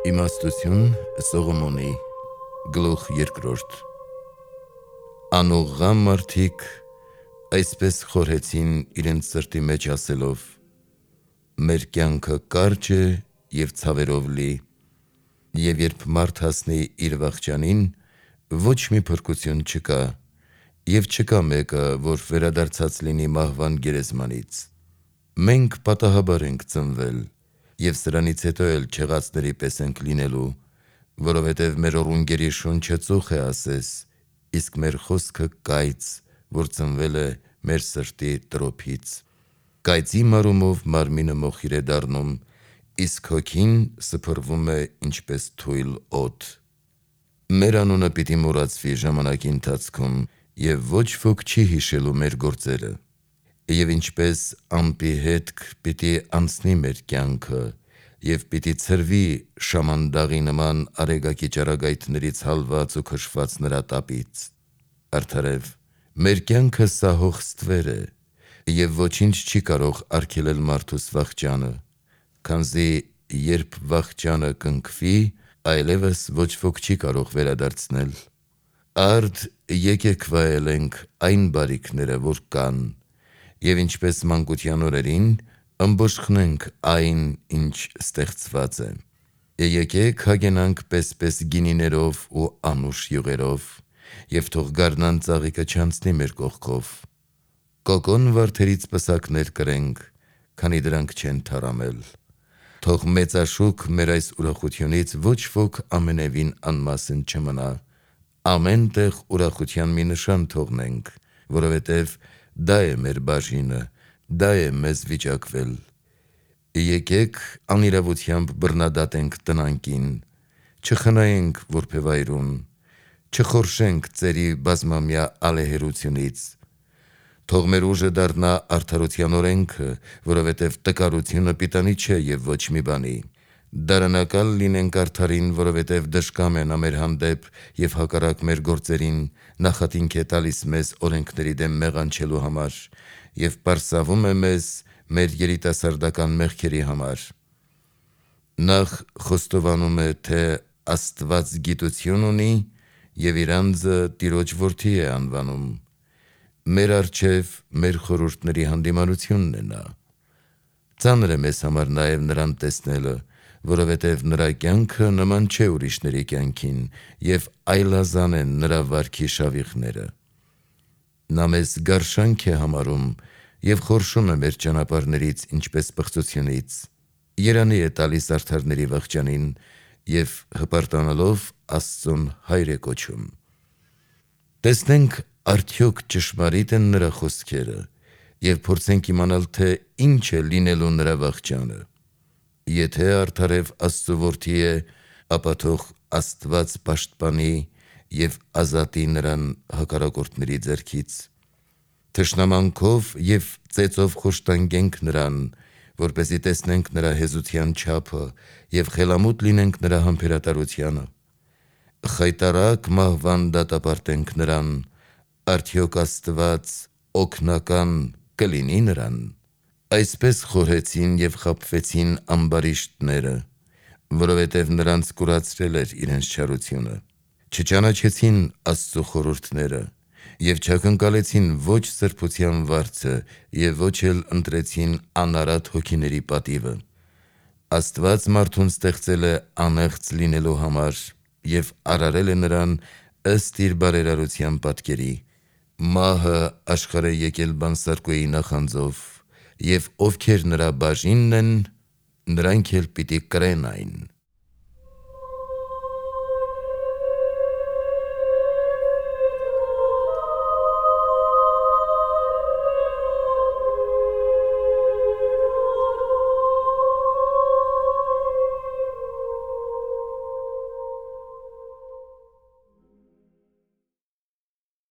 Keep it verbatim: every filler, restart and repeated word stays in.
Իմաստություն Սողոմոնի գլուխ երկրորդ Անուղղամ մարդիկ այսպես խորհեցին իրենց սրտի մեջ ասելով. մեր կյանքը կարճ է և ցավերով լի, և երբ մարդ հասնի իր վախճանին, ոչ մի փրկություն չկա, և չկա մեկը, որ վերադարձած լինի մահվան գերեզմանից։ Մենք պատահաբար ենք ծնվել, և սրանից հետո էլ չեղածների պես ենք լինելու, որովհետև մեր օռունգերի շունչը ծուխ է ասես, իսկ մեր խոսքը կայծ, որ ծնվել է մեր սրտի տրոփից։ Կայծի մարումով մարմինը մոխիր է դառնում, իսկ հոգին սփռվում է ինչպես թույլ օդ։ Մեր անունը պիտի մոռացվի ժամանակի ընթացքում, և ոչ ոք չի հիշելու մեր գործերը։ Եվ ինչպես ամպի հետք պիտի անցնի մեր կյանքը, և պիտի ցրվի շամանդաղի նման արեգակի ճառագայթներից հալված ու քշված նրա տապից։ Արդարև, մեր կյանքը սահող ստվեր է, և ոչինչ չի կարող արգելել մարդուս վախճանը, քանզի երբ վախճանը կնքվի, այլևս ոչ ոք չի կարող վերադարձնել։ Արդ եկեք վայելենք այն բարիքները, որ կան, և ինչպես մանկության օրերին, ըմբոշխնենք այն, ինչ ստեղծված է։ Եկեք հագենանք պես-պես գինիներով ու անուշ յուղերով, և թող գարնան ծաղիկը չանցնի մեր կողքով։ Կոկոն վարդերից պսակներ կրենք, քանի դրանք չեն թառամել։ Թող մեծաշուք մեր այս ուրախությունից ոչ ոք ամենևին անմասն չմնա։ Ամեն տեղ ուրախության մի նշան թողնենք, որովհետև դա է մեր բաժինը, դա է մեզ վիճակվել։ Եկեք անիրավությամբ բռնադատենք տնանկին, չխնայենք որբևայրուն, չխորշենք ծերի բազմամյա ալեհերությունից։ Թող մեր ուժը դառնա արդարության օրենքը, որովհետև տկարությունը պիտանի չէ և ոչ մի բանի։ Դարանակալ լինենք արդարին, որովհետև դժկամ է նա մեր հանդեպ և հակառակ մեր գործերին նախատինք է տալիս մեզ օրենքների դեմ մեղանչելու համար և պարսավում է մեզ մեր երիտասարդական մեղքերի համար։ Նախ խոստովանում է, թե Աստված գիտություն ունի և իր անձը Տիրոջ որդի է անվանում։ Մեր առջև մեր խորհուրդների հանդիմանությունն է նա։ Ծանր է մեզ համար նաև նրան տեսնելը, որովհետև նրա կյանքը նման չէ ուրիշների կյանքին, և այլազան են նրա վարքի շավիղները։ Նա մեզ գարշանք է համարում և խորշում է մեր ճանապարհներից ինչպես պղծությունից։ Երանի է տալիս արդարների վախճանին և հպարտանալով Աստծուն հայր է կոչում։ Տեսնենք արդյոք ճշմարիտ են նրա խոսքերը և փորձենք իմանալ, թե ինչ է լինելու նրա վախճանը։ Եթե արդարև Աստծու որդի է, ապա թող Աստված պաշտպանի և ազատի նրան հակառակորդների ձեռքից։ Թշնամանքով և ծեծով խոշտանգենք նրան, որպեսզի տեսնենք նրա հեզության չափը և խելամուտ լինենք նրա համբերատարությանը։ Խայտառակ մահվան դատապարտենք նրան, արդյոք Աստված օգնական կլինի նրան։ Այսպես խորհեցին և խաբվեցին ամբարիշտները, որովհետև նրանց կուրացրել էր իրենց չարությունը։ Չճանաչեցին Աստծու խորհուրդները և չակնկալեցին ոչ սրբության վարձը և ոչ էլ ընտրեցին անարատ հոգիների պատիվը։ Աստված մարդուն ստեղծել է անեղծ լինելու համար և արարել է նրան ըստ իր բարերարության պատկերի։ Մահը աշխարհ է եկել բանսարկուի նախանձով, և ովքեր նրա բաժինն են, նրանք էլ պիտի կրեն այն։